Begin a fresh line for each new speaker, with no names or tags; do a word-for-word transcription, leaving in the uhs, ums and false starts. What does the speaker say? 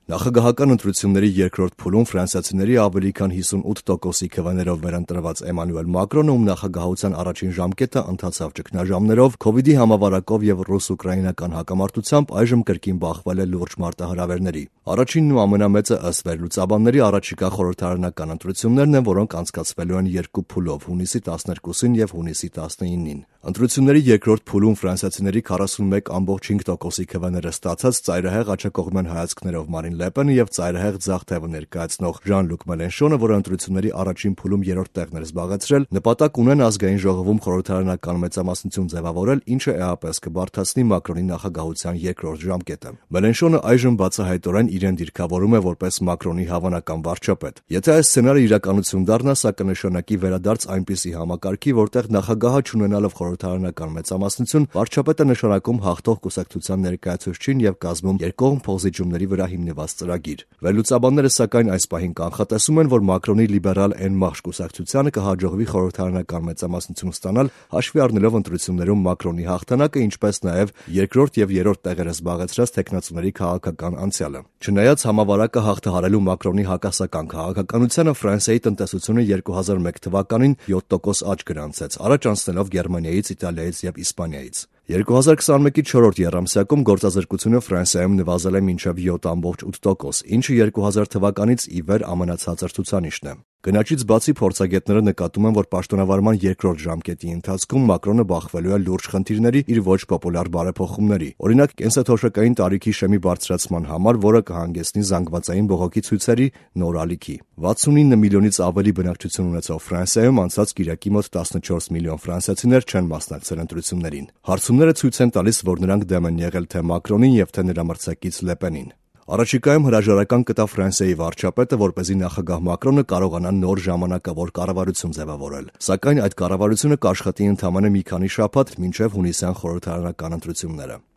Նախագահական ընտրությունների երկրորդ փուլում ֆրանսիացիների ավելի քան հիսունութ տոկոսի քվեներով վերընտրված Էմանուել Մակրոնը, ում նախագահության առաջին ժամկետը ընթացավ ճգնաժամերով, քովիդի համավարակով եւ ռուս-ուկրաինական հակամարտությամբ այժմ կրկին բախվել է լուրջ մարտահրավերների։ Առաջինն ու ամենամեծը ըստ վերլուծաբանների առաջիկա խորհրդարանական ընտրություններն են, որոնք անցկացվելու են երկու փուլով՝ հունիսի տասներկուսին եւ հունիսի տասնինին։ Ընտրությունների երկրորդ փուլում ֆրանսիացիների քառասունմեկ կόμma հինգ տոկոսի քվեները ստացած ծայրահեղ աջակողմյան հայացքներով Մարին Լե Պենը եւ ծայրահեղ ձախ թևը ներկայացնող Ժան-Լուկ Մելենշոնը, որը ընտրությունների առաջին փուլում երրորդ տեղն էր զբաղեցրել, նպատակ ունեն ազգային ժողովում խորհրդարանական մեծամասնություն ձևավորել, ինչը էապես կբարդացնի Մակրոնի նախագահության երկրորդ ժամկետը։ Մելենշոնը այժմ բացահայտորեն իրեն դիրքավորում է որպես Մակրոնի հավանական վարչապետ։ Եթե այս սցենարը իրականություն դառնա, սա կնշանակի վերադարձ այնպիսի համակարգի, որտեղ նախագահը չունենալով խորհրդարանական մեծամասնություն, վարչապետը նշանակում հաղթող կուսակցության ներկայացուցչին եւ կազմում երկկողմ փոխզիջումների վրա հիմնված ծրագիր։ Վերլուծաբանները սակայն այս պահին կանխատեսում են, որ Մակրոնի լիբերալ Էն Մարշ կուսակցությանը կհաջողվի խորհրդարանական մեծամասնություն ստանալ, հաշվի առնելով ընտրություններում Մակրոնի հաղթանակը, ինչպես նաեւ երկրորդ եւ երրորդ տեղերը զբաղեցրած տեխնացուների քաղաքական անցյալը։ Չնայած համավարակը հաղթահարելու Մակրոնի հակասական քաղաքականությանը, Ֆրանսիայի տնտեսությունը երկու հազար մեկ թվականին յոթ տոկոս աճ գրանցեց, առաջ անցնելով Գերմանիայից, Իտալիայից եւ Իսպանիայից։ երկու հազար քսանմեկի չորրորդ եռամսյակում գործազրկությունը Ֆրանսիայում նվազել է մինչև յոթ կόμma ութ տոկոս, ինչը երկու հազար թվականից ի վեր ամենացածր ցուցանիշն է։ Գնաճից բացի փորձագետները նկատում են, որ պաշտոնավարման երկրորդ ժամկետի ընթացքում Մակրոնը բախվելու է լուրջ խնդիրների իր ոչ պոպուլար բարեփոխումների։ Օրինակ, կենսաթոշակային տարիքի շեմի բարձրացման համար, որը կհանգեցնի զանգվածային բողոքի ցույցերի, նոր ալիքի։ վաթսունինը միլիոնից ավելի բնակչություն ունեցող Ֆրանսիայում անցած կիրակի մոտ տասնչորս միլիոն ֆրանսիացիներ չեն մասնակցել ընտրություններին։ Հարցումները ցույց են տալիս, որ նրանք դեմ են եղել թե Մակրոնին եւ թե նրա մրցակից Լե Պենին։ Առաջիկայում հրաժարական կտա Ֆրանսիայի վարչապետը, որպեսզի նախագահ Մակրոնը կարողանա նոր ժամանակավոր կառավարություն ձևավորել։ Սակայն այդ կառավարությունը կաշխատի ընդամենը մի քանի շաբաթ, մինչև հունիսյան խորհրդարանական ընտրությունները։